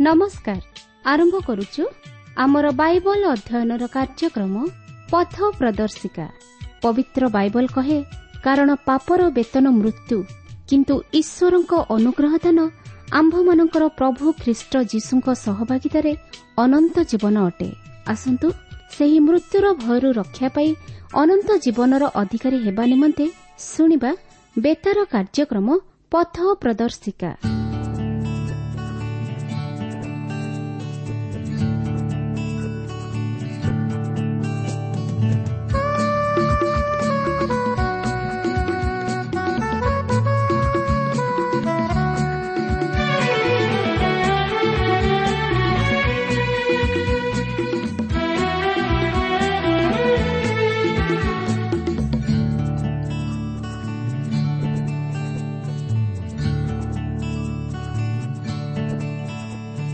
ନମସ୍କାର। ଆରମ୍ଭ କରୁଛୁ ଆମର ବାଇବଲ ଅଧ୍ୟୟନର କାର୍ଯ୍ୟକ୍ରମ ପଥ ପ୍ରଦର୍ଶିକା। ପବିତ୍ର ବାଇବଲ କହେ, କାରଣ ପାପର ବେତନ ମୃତ୍ୟୁ, କିନ୍ତୁ ଈଶ୍ୱରଙ୍କ ଅନୁଗ୍ରହ ଦାନ ଆମ୍ଭମାନଙ୍କର ପ୍ରଭୁ ଖ୍ରୀଷ୍ଟ ଯୀଶୁଙ୍କ ସହଭାଗିତାରେ ଅନନ୍ତ ଜୀବନ ଅଟେ। ଆସନ୍ତୁ ସେହି ମୃତ୍ୟୁର ଭୟରୁ ରକ୍ଷା ପାଇ ଅନନ୍ତ ଜୀବନର ଅଧିକାରୀ ହେବା ନିମନ୍ତେ ଶୁଣିବା ବେତାର କାର୍ଯ୍ୟକ୍ରମ ପଥ ପ୍ରଦର୍ଶିକା।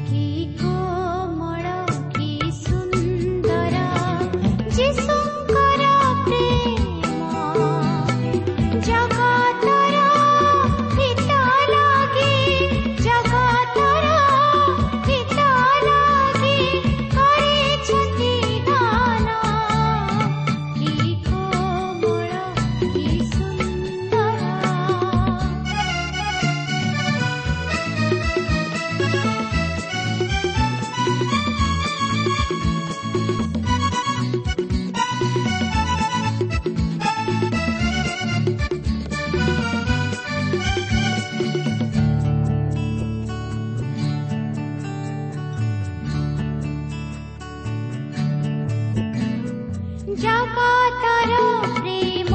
କି କୋମଳ କି ସୁନ୍ଦର ଯୀଶୁଙ୍କର ପ୍ରେମ, ଜଗତର ହିତ ଲାଗି, ଜଗତର ହିତ ଲାଗି କରିଛନ୍ତି ଦାନ। କି କୋମଳ କି ସୁନ୍ଦର। ଜଗତର ପ୍ରେମ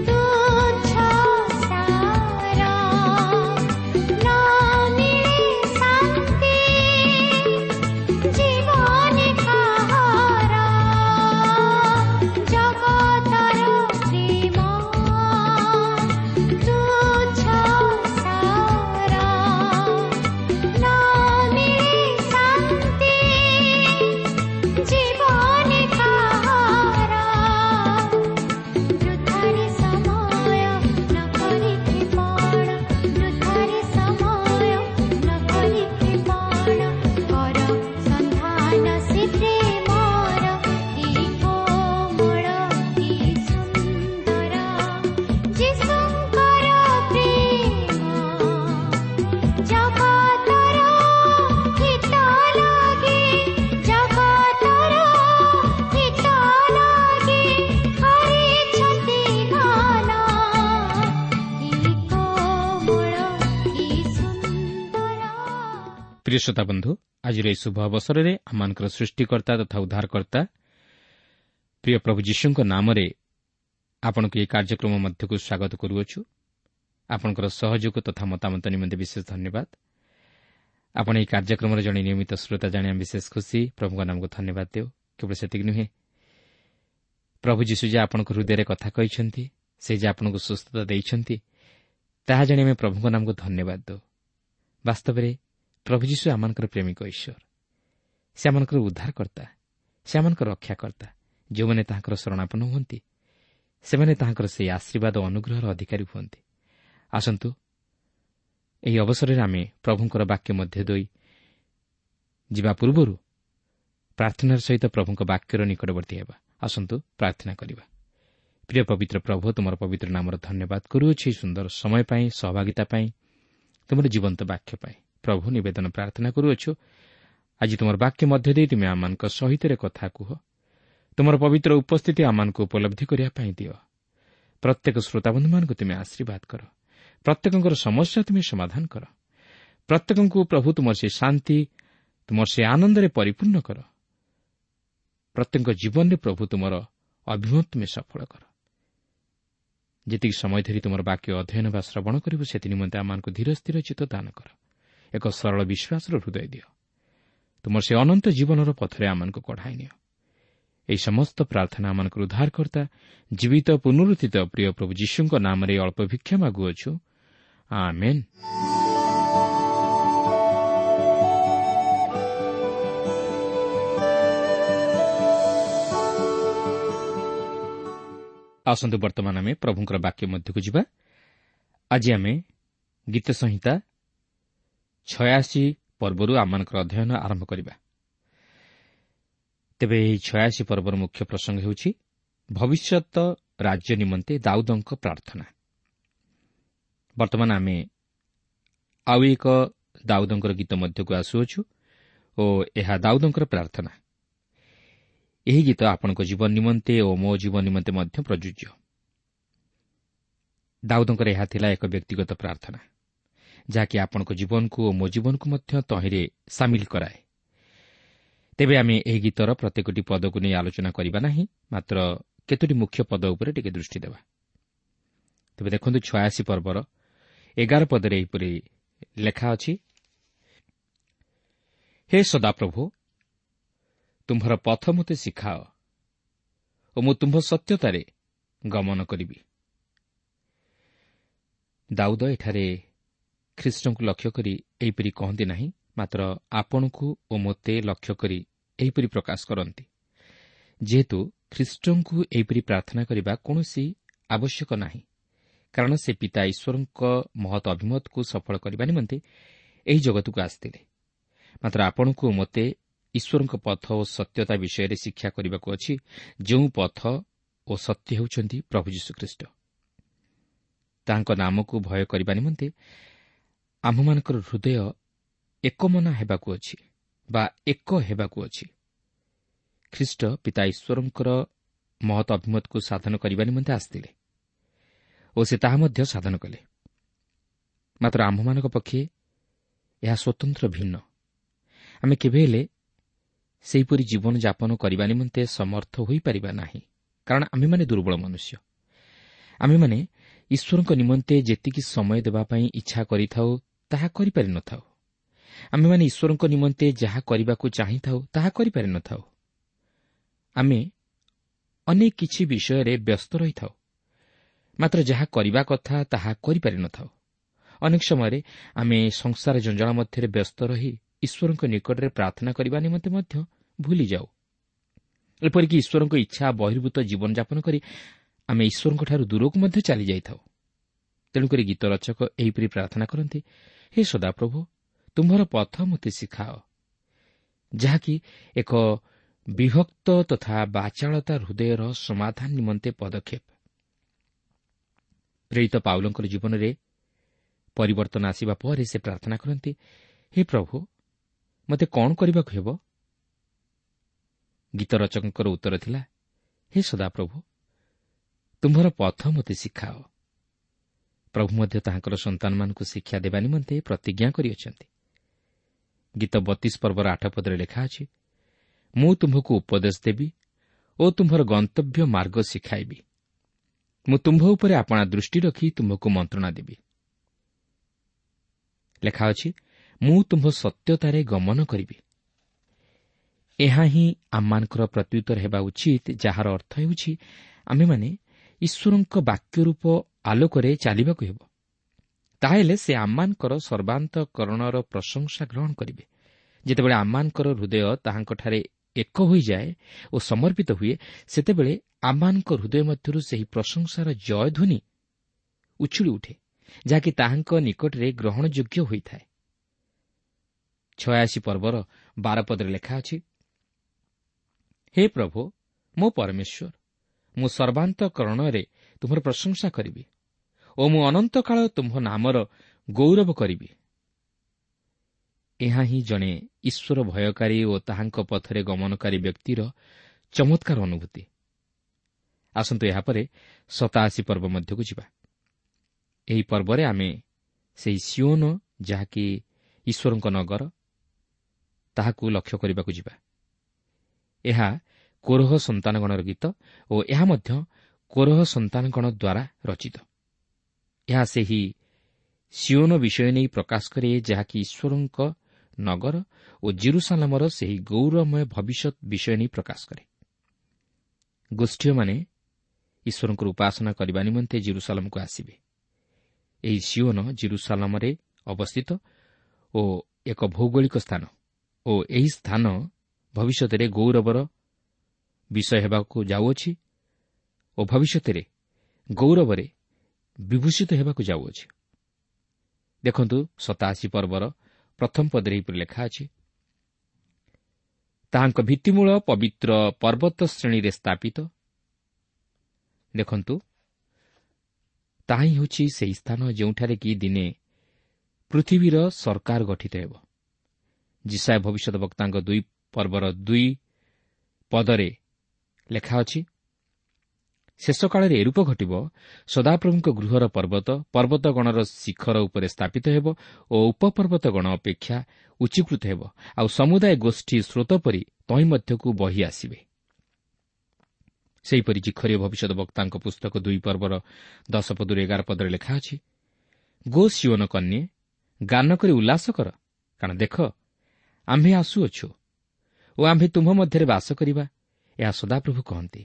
ତୁଚ୍ଛ ସାର, ନ ମିଳେ ଶାନ୍ତି ଜୀବନେ କାହାର। ଜଗତର ପ୍ରେମ ତୁଚ୍ଛ ସାର, ନ ମିଳେ ଶାନ୍ତି ଜୀବନେ କାହାର। ବୃଥାରେ ସମୟ ନ କରିଥି ପଣ, ବୃଥାରେ ସମୟ ନ କରିଥି ପଣ, କର ସନ୍ଧାନ ସେ ପ୍ରେମର। କି କୋମଳ କି ସୁନ୍ଦର ଯୀଶୁଙ୍କର ପ୍ରେମ, ଜଗତର ହିତ ଲାଗି, ଜଗତର ହିତ ଲାଗି କରିଛନ୍ତି ଦାନ। କି କୋମଳ କି ସୁନ୍ଦର। ପ୍ରିୟ ଶ୍ରୋତା ବନ୍ଧୁ, ଆଜିର ଏହି ଶୁଭ ଅବସରରେ ଆମମାନଙ୍କର ସୃଷ୍ଟିକର୍ତ୍ତା ତଥା ଉଦ୍ଧାରକର୍ତ୍ତା ପ୍ରିୟ ପ୍ରଭୁ ଯୀଶୁଙ୍କ ନାମରେ ଆପଣଙ୍କୁ ଏହି କାର୍ଯ୍ୟକ୍ରମ ମଧ୍ୟକୁ ସ୍ୱାଗତ କରୁଅଛୁ। ଆପଣଙ୍କର ସହଯୋଗ ତଥା ମତାମତ ନିମନ୍ତେ ବିଶେଷ ଧନ୍ୟବାଦ। ଆପଣ ଏହି କାର୍ଯ୍ୟକ୍ରମର ଜଣେ ନିୟମିତ ଶ୍ରୋତା ଜାଣି ଆମେ ବିଶେଷ ଖୁସି। ପ୍ରଭୁଙ୍କ ନାମକୁ ଧନ୍ୟବାଦ ଦେଉ। କେବଳ ସେତିକି ନୁହେଁ, ପ୍ରଭୁ ଯୀଶୁ ଯେ ଆପଣଙ୍କ ହୃଦୟରେ କଥା କହିଛନ୍ତି, ସେ ଯେ ଆପଣଙ୍କୁ ସୁସ୍ଥତା ଦେଇଛନ୍ତି, ତାହା ଜାଣି ଆମେ ପ୍ରଭୁଙ୍କ ନାମକୁ ଧନ୍ୟବାଦ ଦେଉ। ବାସ୍ତବରେ ପ୍ରଭୁ ଯୀଶୁ ଆମମାନଙ୍କର ପ୍ରେମିକ ଈଶ୍ୱର। ସେ ଆମମାନଙ୍କର ଉଦ୍ଧାରକର୍ତ୍ତା, ସେ ଆମମାନଙ୍କର ରକ୍ଷାକର୍ତ୍ତା। ଯେଉଁମାନେ ତାହାଙ୍କର ଶରଣାପନ୍ନ ହୁଅନ୍ତି, ସେମାନେ ତାହାଙ୍କର ସେହି ଆଶୀର୍ବାଦ ଓ ଅନୁଗ୍ରହର ଅଧିକାରୀ ହୁଅନ୍ତି। ଆସନ୍ତୁ ଏହି ଅବସରରେ ଆମେ ପ୍ରଭୁଙ୍କର ବାକ୍ୟ ମଧ୍ୟ ଦେଇ ଯିବା ପୂର୍ବରୁ ପ୍ରାର୍ଥନାର ସହିତ ପ୍ରଭୁଙ୍କ ବାକ୍ୟର ନିକଟବର୍ତ୍ତୀ ହେବା। ଆସନ୍ତୁ ପ୍ରାର୍ଥନା କରିବା। ପ୍ରିୟ ପବିତ୍ର ପ୍ରଭୁ, ତୁମର ପବିତ୍ର ନାମର ଧନ୍ୟବାଦ କରୁଅଛି ଏହି ସୁନ୍ଦର ସମୟ ପାଇଁ, ସହଭାଗିତା ପାଇଁ, ତୁମର ଜୀବନ୍ତ ବାକ୍ୟ ପାଇଁ। ପ୍ରଭୁ, ନିବେଦନ ପ୍ରାର୍ଥନା କରୁଅଛୁ, ଆଜି ତୁମର ବାକ୍ୟ ମଧ୍ୟ ଦେଇ ତୁମେ ଆମମାନଙ୍କ ସହିତ କଥା କୁହ। ତୁମର ପବିତ୍ର ଉପସ୍ଥିତି ଆମମାନଙ୍କୁ ଉପଲବ୍ଧି କରିବା ପାଇଁ ଦିଅ। ପ୍ରତ୍ୟେକ ଶ୍ରୋତାବନ୍ଧୁମାନଙ୍କୁ ତୁମେ ଆଶୀର୍ବାଦ କର। ପ୍ରତ୍ୟେକଙ୍କର ସମସ୍ୟା ତୁମେ ସମାଧାନ କର। ପ୍ରତ୍ୟେକଙ୍କୁ ପ୍ରଭୁ ତୁମର ସେ ଶାନ୍ତି, ତୁମର ସେ ଆନନ୍ଦରେ ପରିପୂର୍ଣ୍ଣ କର। ପ୍ରତ୍ୟେକଙ୍କ ଜୀବନରେ ପ୍ରଭୁ ତୁମର ଅଭିମତ ତୁମେ ସଫଳ କର। ଯେତିକି ସମୟ ଧରି ତୁମର ବାକ୍ୟ ଅଧ୍ୟୟନ ବା ଶ୍ରବଣ କରିବୁ, ସେଥି ନିମନ୍ତେ ଆମମାନଙ୍କୁ ଧୀର ସ୍ଥିର ଚିତ୍ତ ଦାନ କର। ଏକ ସରଳ ବିଶ୍ୱାସର ହୃଦୟ ଦିଅ। ତୁମର ସେ ଅନନ୍ତ ଜୀବନର ପଥରେ ଆମମାନଙ୍କୁ କଢ଼ାଇ ନିଅ। ଏହି ସମସ୍ତ ପ୍ରାର୍ଥନା ଆମମାନଙ୍କର ଉଦ୍ଧାରକର୍ତ୍ତା ଜୀବିତ ପୁନରୁତ୍ଥିତ ପ୍ରିୟ ପ୍ରଭୁ ଯୀଶୁଙ୍କ ନାମରେ ଅଳ୍ପ ଭିକ୍ଷା ମାଗୁଅଛୁ, ଆମେନ୍। ଆସନ୍ତୁ ବର୍ତ୍ତମାନ ଆମେ ପ୍ରଭୁଙ୍କର ବାକ୍ୟ ମଧ୍ୟକୁ ଯିବା। ଆଜି ଆମେ ଗୀତ ସଂହିତା 86 ପର୍ବରୁ ଆମମାନଙ୍କର ଅଧ୍ୟୟନ ଆରମ୍ଭ କରିବା। ତେବେ ଏହି 86 ପର୍ବର ମୁଖ୍ୟ ପ୍ରସଙ୍ଗ ହେଉଛି ଭବିଷ୍ୟତ ରାଜ୍ୟ ନିମନ୍ତେ ଦାଉଦଙ୍କ ପ୍ରାର୍ଥନା। ବର୍ତ୍ତମାନ ଆମେ ଆଉ ଏକ ଦାଉଦଙ୍କର ଗୀତ ମଧ୍ୟକୁ ଆସୁଅଛୁ ଓ ଏହା ଦାଉଦଙ୍କର ପ୍ରାର୍ଥନା। ଏହି ଗୀତ ଆପଣଙ୍କ ଜୀବନ ନିମନ୍ତେ ଓ ମୋ ଜୀବନ ନିମନ୍ତେ ମଧ୍ୟ ପ୍ରଯୁଜ୍ୟ। ଦାଉଦଙ୍କର ଏହା ଥିଲା ଏକ ବ୍ୟକ୍ତିଗତ ପ୍ରାର୍ଥନା, ଯାହାକି ଆପଣଙ୍କ ଜୀବନକୁ ଓ ମୋ ଜୀବନକୁ ମଧ୍ୟ ତହିଁରେ ସାମିଲ କରାଏ। ତେବେ ଆମେ ଏହି ଗୀତର ପ୍ରତ୍ୟେକଟି ପଦକୁ ନେଇ ଆଲୋଚନା କରିବା ନାହିଁ, ମାତ୍ର କେତୋଟି ମୁଖ୍ୟ ପଦ ଉପରେ ଟିକେ ଦୃଷ୍ଟି ଦେବା। ତେବେ ଦେଖନ୍ତୁ 86 ପର୍ବର 11 ପଦରେ ଏହିପରି ଲେଖା ଅଛି, ହେ ସଦାପ୍ରଭୁ, ତୁମ୍ଭର ପଥ ମୋତେ ଶିଖାଅ ଓ ମୁଁ ତୁମ୍ଭ ସତ୍ୟତାରେ ଗମନ କରିବି। ଦାଉଦ ଏଠାରେ ଖ୍ରୀଷ୍ଟଙ୍କୁ ଲକ୍ଷ୍ୟ କରି ଏହିପରି କହନ୍ତି ନାହିଁ, ମାତ୍ର ଆପଣଙ୍କୁ ଓ ମୋତେ ଲକ୍ଷ୍ୟ କରି ଏହିପରି ପ୍ରକାଶ କରନ୍ତି। ଯେହେତୁ ଖ୍ରୀଷ୍ଟଙ୍କୁ ଏହିପରି ପ୍ରାର୍ଥନା କରିବା କୌଣସି ଆବଶ୍ୟକ ନାହିଁ, କାରଣ ସେ ପିତା ଈଶ୍ୱରଙ୍କ ମହତ୍ ଅଭିମତକୁ ସଫଳ କରିବା ନିମନ୍ତେ ଏହି ଜଗତକୁ ଆସିଥିଲେ। ମାତ୍ର ଆପଣଙ୍କୁ ଓ ମୋତେ ଈଶ୍ୱରଙ୍କ ପଥ ଓ ସତ୍ୟତା ବିଷୟରେ ଶିକ୍ଷା କରିବାକୁ ଅଛି, ଯେଉଁ ପଥ ଓ ସତ୍ୟ ହେଉଛନ୍ତି ପ୍ରଭୁ ଯୀଶୁଖ୍ରୀଷ୍ଟ। ତାହାଙ୍କ ନାମକୁ ଭୟ କରିବା ନିମନ୍ତେ ଆମ୍ଭମାନଙ୍କର ହୃଦୟ ଏକମନା ହେବାକୁ ଅଛି ବା ଏକ ହେବାକୁ ଅଛି। ଖ୍ରୀଷ୍ଟ ପିତା ଈଶ୍ୱରଙ୍କର ମହତ୍ ଅଭିମତକୁ ସାଧନ କରିବା ନିମନ୍ତେ ଆସିଥିଲେ ଓ ସେ ତାହା ମଧ୍ୟ ସାଧନ କଲେ। ମାତ୍ର ଆମ୍ଭମାନଙ୍କ ପକ୍ଷେ ଏହା ସ୍ୱତନ୍ତ୍ର ଭିନ୍ନ। ଆମେ କେବେ ହେଲେ ସେହିପରି ଜୀବନଯାପନ କରିବା ନିମନ୍ତେ ସମର୍ଥ ହୋଇପାରିବା ନାହିଁ, କାରଣ ଆମେମାନେ ଦୁର୍ବଳ ମନୁଷ୍ୟ। ଆମେମାନେ ଈଶ୍ୱରଙ୍କ ନିମନ୍ତେ ଯେତିକି ସମୟ ଦେବା ପାଇଁ ଇଚ୍ଛା କରିଥାଉ ତାହା କରିପାରିନଥାଉ। ଆମେମାନେ ଈଶ୍ୱରଙ୍କ ନିମନ୍ତେ ଯାହା କରିବାକୁ ଚାହିଁଥାଉ ତାହା କରିପାରିନଥାଉ। ଆମେ ଅନେକ କିଛି ବିଷୟରେ ବ୍ୟସ୍ତ ରହିଥାଉ, ମାତ୍ର ଯାହା କରିବା କଥା ତାହା କରିପାରିନଥାଉ। ଅନେକ ସମୟରେ ଆମେ ସଂସାର ଜଞ୍ଜାଳ ମଧ୍ୟରେ ବ୍ୟସ୍ତ ରହି ଈଶ୍ୱରଙ୍କ ନିକଟରେ ପ୍ରାର୍ଥନା କରିବା ନିମନ୍ତେ ମଧ୍ୟ ଭୁଲିଯାଉ। ଏପରିକି ଈଶ୍ୱରଙ୍କ ଇଚ୍ଛା ବହିର୍ଭୂତ ଜୀବନଯାପନ କରି ଆମେ ଈଶ୍ୱରଙ୍କଠାରୁ ଦୂରକୁ ମଧ୍ୟ ଚାଲିଯାଇଥାଉ। ତେଣୁକରି ଗୀତ ରଚକ ଏହିପରି ପ୍ରାର୍ଥନା କରନ୍ତି, ହେ ସଦାପ୍ରଭୁ, ତୁମ୍ଭର ପଥ ମୋତେ ଶିଖାଅ, ଯାହାକି ଏକ ବିଭକ୍ତ ତଥା ବାଚାଳତା ହୃଦୟର ସମାଧାନ ନିମନ୍ତେ ପଦକ୍ଷେପ। ପ୍ରେରିତ ପାଉଲଙ୍କର ଜୀବନରେ ପରିବର୍ତ୍ତନ ଆସିବା ପରେ ସେ ପ୍ରାର୍ଥନା କରନ୍ତି, ହେ ପ୍ରଭୁ, ମୋତେ କ'ଣ କରିବାକୁ ହେବ? ଗୀତ ରଚକଙ୍କର ଉତ୍ତର ଥିଲା, ହେ ସଦାପ୍ରଭୁ, ତୁମ୍ଭର ପଥ ମୋତେ ଶିଖାଅ। ପ୍ରଭୁ ମଧ୍ୟ ତାହାଙ୍କର ସନ୍ତାନମାନଙ୍କୁ ଶିକ୍ଷା ଦେବା ନିମନ୍ତେ ପ୍ରତିଜ୍ଞା କରିଅଛନ୍ତି। ଗୀତ 32 ପର୍ବର 8 ପଦରେ ଲେଖା ଅଛି, ମୁଁ ତୁମ୍ଭକୁ ଉପଦେଶ ଦେବି ଓ ତୁମ୍ଭର ଗନ୍ତବ୍ୟ ମାର୍ଗ ଶିଖାଇବି। ମୁଁ ତୁମ୍ଭ ଉପରେ ଆପଣା ଦୃଷ୍ଟି ରଖି ତୁମ୍ଭକୁ ମନ୍ତ୍ରଣା ଦେବି। ଲେଖା ଅଛି, ମୁଁ ତୁମ୍ଭ ସତ୍ୟତାରେ ଗମନ କରିବି। ଏହା ହିଁ ଆମମାନଙ୍କର ପ୍ରତ୍ୟୁତ୍ତର ହେବା ଉଚିତ, ଯାହାର ଅର୍ଥ ହେଉଛି ଆମେମାନେ ଈଶ୍ୱରଙ୍କ ବାକ୍ୟରୂପ ଆଲୋକରେ ଚାଲିବାକୁ ହେବ। ତାହେଲେ ସେ ଆମମାନଙ୍କର ସର୍ବାନ୍ତକରଣର ପ୍ରଶଂସା ଗ୍ରହଣ କରିବେ। ଯେତେବେଳେ ଆମମାନଙ୍କର ହୃଦୟ ତାହାଙ୍କଠାରେ ଏକ ହୋଇଯାଏ ଓ ସମର୍ପିତ ହୁଏ, ସେତେବେଳେ ଆମମାନଙ୍କ ହୃଦୟ ମଧ୍ୟରୁ ସେହି ପ୍ରଶଂସାର ଜୟଧ୍ୱନି ଉଛୁଳି ଉଠେ, ଯାହାକି ତାହାଙ୍କ ନିକଟରେ ଗ୍ରହଣଯୋଗ୍ୟ ହୋଇଥାଏ। 86 ପର୍ବର 12 ପଦରେ ଲେଖା ଅଛି, ହେ ପ୍ରଭୁ ମୋ ପରମେଶ୍ୱର, ମୁଁ ସର୍ବାନ୍ତକରଣରେ ତୁମର ପ୍ରଶଂସା କରିବି ଓ ମୁଁ ଅନନ୍ତକାଳ ତୁମ୍ଭ ନାମର ଗୌରବ କରିବି। ଏହା ହିଁ ଜଣେ ଈଶ୍ୱର ଭୟକାରୀ ଓ ତାହାଙ୍କ ପଥରେ ଗମନକାରୀ ବ୍ୟକ୍ତିର ଚମତ୍କାର ଅନୁଭୂତି। ଆସନ୍ତୁ ଏହାପରେ 87 ପର୍ବ ମଧ୍ୟକୁ ଯିବା। ଏହି ପର୍ବରେ ଆମେ ସେହି ସିଓନ, ଯାହାକି ଈଶ୍ୱରଙ୍କ ନଗର, ତାହାକୁ ଲକ୍ଷ୍ୟ କରିବାକୁ ଯିବା। ଏହା କୋରହ ସନ୍ତାନଗଣର ଗୀତ ଓ ଏହା ମଧ୍ୟ କୋରହ ସନ୍ତାନଗଣ ଦ୍ୱାରା ରଚିତ। ଏହା ସେହି ସିଓନ ବିଷୟ ନେଇ ପ୍ରକାଶ କରେ, ଯାହାକି ଈଶ୍ୱରଙ୍କ ନଗର ଓ ଜିରୁସାଲାମର ସେହି ଗୌରବମୟ ଭବିଷ୍ୟତ ବିଷୟ ନେଇ ପ୍ରକାଶ କରେ। ଗୋଷ୍ଠୀୟମାନେ ଈଶ୍ୱରଙ୍କର ଉପାସନା କରିବା ନିମନ୍ତେ ଜିରୁସାଲାମକୁ ଆସିବେ। ଏହି ସିଓନ ଜିରୁସାଲାମରେ ଅବସ୍ଥିତ ଓ ଏକ ଭୌଗୋଳିକ ସ୍ଥାନ ଓ ଏହି ସ୍ଥାନ ଭବିଷ୍ୟତରେ ଗୌରବର ବିଷୟ ହେବାକୁ ଯାଉଅଛି ଓ ଭବିଷ୍ୟତରେ ଗୌରବରେ ବିଭୂଷିତ ହେବାକୁ ଯାଉଅଛି। ଦେଖନ୍ତୁ 87 ପର୍ବର ପ୍ରଥମ ପଦରେ ଏହିପରି ଲେଖା ଅଛି, ତାହାଙ୍କ ଭିତ୍ତିମୂଳ ପବିତ୍ର ପର୍ବତ ଶ୍ରେଣୀରେ ସ୍ଥାପିତ। ଦେଖନ୍ତୁ, ତାହା ହିଁ ହେଉଛି ସେହି ସ୍ଥାନ ଯେଉଁଠାରେ କି ଦିନେ ପୃଥିବୀର ସରକାର ଗଠିତ ହେବ। ଯିଶାଇୟ ଭବିଷ୍ୟତ ବକ୍ତାଙ୍କ 2 ପର୍ବର 2 ପଦରେ ଲେଖା ଅଛି, ଶେଷ କାଳରେ ଏରୂପ ଘଟିବ, ସଦାପ୍ରଭୁଙ୍କ ଗୃହର ପର୍ବତ ପର୍ବତଗଣର ଶିଖର ଉପରେ ସ୍ଥାପିତ ହେବ ଓ ଉପପର୍ବତଗଣ ଅପେକ୍ଷା ଉଚ୍ଚୀକୃତ ହେବ, ଆଉ ସମୁଦାୟ ଗୋଷ୍ଠୀ ସ୍ରୋତ ପରି ତହିଁ ମଧ୍ୟକୁ ବହି ଆସିବେ। ସେହିପରି ଜିଖରୀୟ ଭବିଷ୍ୟତ ବକ୍ତାଙ୍କ ପୁସ୍ତକ 2 ପର୍ବର 10 ପଦରୁ 11 ପଦରେ ଲେଖା ଅଛି, ଗୋ ସିଓନ କନ୍ୟେ, ଗାନ କରି ଉଲ୍ଲାସ କର, କାରଣ ଦେଖ ଆମ୍ଭେ ଆସୁଅଛୁ ଓ ଆମ୍ଭେ ତୁମ୍ଭ ମଧ୍ୟରେ ବାସ କରିବା, ଏହା ସଦାପ୍ରଭୁ କହନ୍ତି।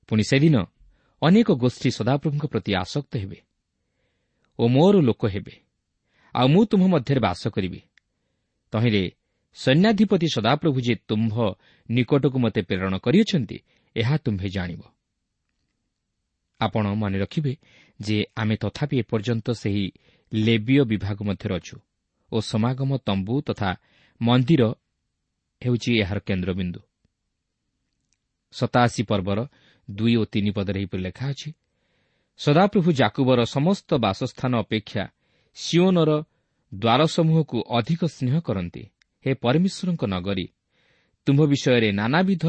ପୁଣି ସେଦିନ ଅନେକ ଗୋଷ୍ଠୀ ସଦାପ୍ରଭୁଙ୍କ ପ୍ରତି ଆସକ୍ତ ହେବେ ଓ ମୋର ଲୋକ ହେବେ, ଆଉ ମୁଁ ତୁମ୍ଭ ମଧ୍ୟରେ ବାସ କରିବି। ତହିଁରେ ସୈନ୍ୟାଧିପତି ସଦାପ୍ରଭୁ ଯେ ତୁମ୍ଭ ନିକଟକୁ ମୋତେ ପ୍ରେରଣ କରିଅଛନ୍ତି, ଏହା ତୁମ୍ଭେ ଜାଣିବ। ଆପଣ ମନେ ରଖିବେ ଯେ ଆମେ ତଥାପି ଏପର୍ଯ୍ୟନ୍ତ ସେହି ଲେବୀୟ ବିଭାଗ ମଧ୍ୟରେ ଅଛୁ ଓ ସମାଗମ ତମ୍ବୁ ତଥା ମନ୍ଦିର ହେଉଛି ଏହାର କେନ୍ଦ୍ରବିନ୍ଦୁ। 87 ପର୍ବର 2 ଓ 3 ପଦରେ ଏହିପରି ଲେଖା ଅଛି, ସଦାପ୍ରଭୁ ଯାକୁବର ସମସ୍ତ ବାସସ୍ଥାନ ଅପେକ୍ଷା ସିଓନର ଦ୍ୱାରସମୂହକୁ ଅଧିକ ସ୍ନେହ କରନ୍ତି। ହେ ପରମେଶ୍ୱରଙ୍କ ନଗରୀ, ତୁମ୍ଭ ବିଷୟରେ ନାନାବିଧ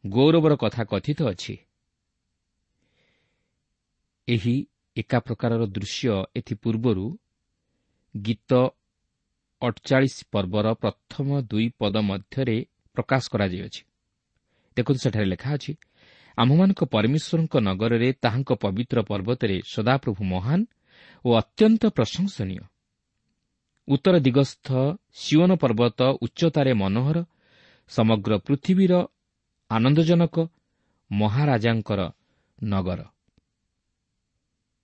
ଗୌରବର କଥା କଥିତ ଅଛି। ଏହି ଏକା ପ୍ରକାରର ଦୃଶ୍ୟ ଏଥିପୂର୍ବରୁ ଗୀତ 48 ପର୍ବର ପ୍ରଥମ 2 ପଦ ମଧ୍ୟରେ ପ୍ରକାଶ କରାଯାଇଅଛି। ଦେଖନ୍ତୁ, ସେଠାରେ ଲେଖା ଅଛି, ଆମ୍ଭମାନଙ୍କ ପରମେଶ୍ୱରଙ୍କ ନଗରରେ ତାହାଙ୍କ ପବିତ୍ର ପର୍ବତରେ ସଦାପ୍ରଭୁ ମହାନ ଓ ଅତ୍ୟନ୍ତ ପ୍ରଶଂସନୀୟ। ଉତ୍ତର ଦିଗସ୍ଥ ସିଓନ ପର୍ବତ ଉଚ୍ଚତାରେ ମନୋହର, ସମଗ୍ର ପୃଥିବୀର ଆନନ୍ଦଜନକ ମହାରାଜାଙ୍କର ନଗର।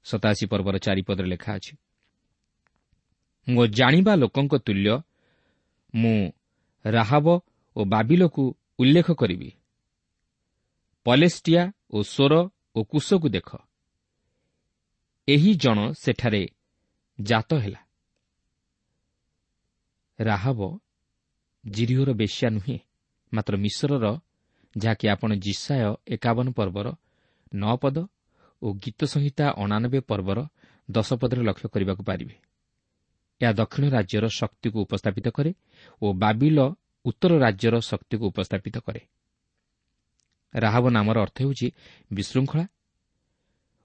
87 ପର୍ବର 4 ପଦରେ ଲେଖା ଅଛି, ମୋ ଜାଣିବା ଲୋକଙ୍କ ତୁଲ୍ୟ ମୁଁ ରାହାବ ଓ ବାବିଲକୁ ଉଲ୍ଲେଖ କରିବି। ପଲେଷ୍ଟିଆ ଓ ସୋର ଓ କୁଶକୁ ଦେଖ, ଏହି ଜଣ ସେଠାରେ ଜାତ ହେଲା। ରାହାବ ଯିରିହୋର ବେଶ୍ୟା ନୁହେଁ, ମାତ୍ର ମିଶରର, ଯାହାକି ଆପଣ ଯିଶାଇୟ 51 ପର୍ବର 9 ପଦ ଓ ଗୀତସଂହିତା 89 ପର୍ବର 10 ପଦରେ ଲକ୍ଷ୍ୟ କରିବାକୁ ପାରିବେ। ଏହା ଦକ୍ଷିଣ ରାଜ୍ୟର ଶକ୍ତିକୁ ଉପସ୍ଥାପିତ କରେ ଓ ବାବିଲ ଉତ୍ତର ରାଜ୍ୟର ଶକ୍ତିକୁ ଉପସ୍ଥାପିତ କରେ। ରାହାବ ନାମର ଅର୍ଥ ହେଉଛି ବିଶୃଙ୍ଖଳା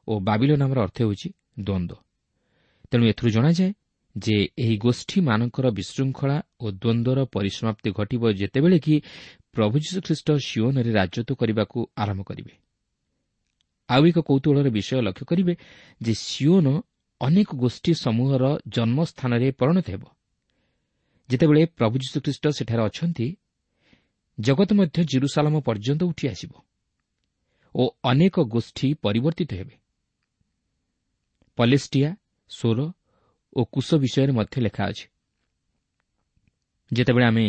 ଓ ବାବିଲ ନାମର ଅର୍ଥ ହେଉଛି ଦ୍ୱନ୍ଦ୍ୱ। ତେଣୁ ଏଥିରୁ ଜଣାଯାଏ ଯେ ଏହି ଗୋଷ୍ଠୀମାନଙ୍କର ବିଶୃଙ୍ଖଳା ଓ ଦ୍ୱନ୍ଦ୍ୱର ପରିସମାପ୍ତି ଘଟିବ ଯେତେବେଳେ କି ପ୍ରଭୁ ଯୀଶୁଖ୍ରୀଷ୍ଟ ସିଓନରେ ରାଜତ୍ୱ କରିବାକୁ ଆରମ୍ଭ କରିବେ। ଆଉ ଏକ କୌତୂହଳର ବିଷୟ ଲକ୍ଷ୍ୟ କରିବେ ଯେ ସିଓନ ଅନେକ ଗୋଷ୍ଠୀ ସମୂହର ଜନ୍ମସ୍ଥାନରେ ପରିଣତ ହେବ। ଯେତେବେଳେ ପ୍ରଭୁ ଯୀଶୁଖ୍ରୀଷ୍ଟ ସେଠାରେ ଅଛନ୍ତି, ଜଗତ ମଧ୍ୟ ଜିରୁସାଲମ ପର୍ଯ୍ୟନ୍ତ ଉଠି ଆସିବ ଓ ଅନେକ ଗୋଷ୍ଠୀ ପରିବର୍ତ୍ତିତ ହେବେ। ପଲେଷ୍ଟିଆ, ସୋର ଓ କୁଶ ବିଷୟରେ ମଧ୍ୟ ଲେଖା ଅଛି। ଯେତେବେଳେ ଆମେ